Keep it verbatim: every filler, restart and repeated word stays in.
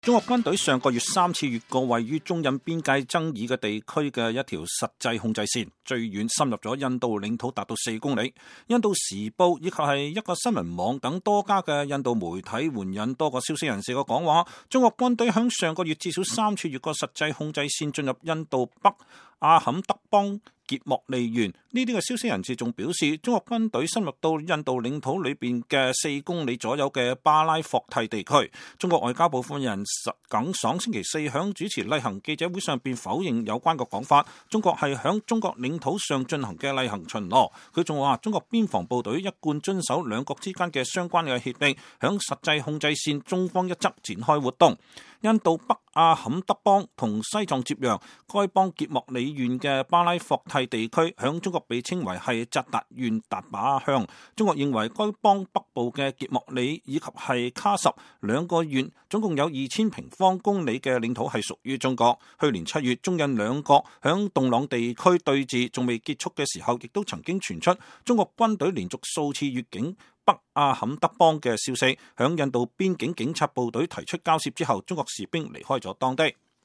中國軍隊上個月三次越過位於中印邊界爭議嘅地區嘅一條實際控制線，最遠深入咗印度領土達到四公里。印度時報以及係一個新聞網等多家嘅印度媒體援引多個消息人士嘅講話，中國軍隊響上個月至少三次越過實際控制線進入印度北阿坎德邦傑莫利縣。呢啲嘅消息人士仲表示，中國軍隊深入到印度領土裏邊嘅四公里左右嘅巴拉霍蒂地區。中國外交部發言人耿爽星期四響主持例行記者會上邊否認有關嘅講法，中國係響中國領土上進行嘅例行巡邏。佢仲話，中國邊防部隊一貫遵守兩國之間嘅相關嘅協定，響實際控制線中方一側展開活動。印度北阿坎德邦同西藏接壤，該邦傑莫里縣嘅巴拉霍蒂地區響中國被稱為係扎達縣達把鄉。中國認為該邦北部嘅傑莫里以及係卡什兩個縣總共有二千平方公里嘅領土係屬於中國。去年七月，中印兩國響洞朗地區對峙仲未結束嘅時候，亦都曾經傳出中國軍隊連續數次越境北阿坎德邦嘅消息。響印度邊境警察部隊提出交涉之後，中國士兵離開咗當地。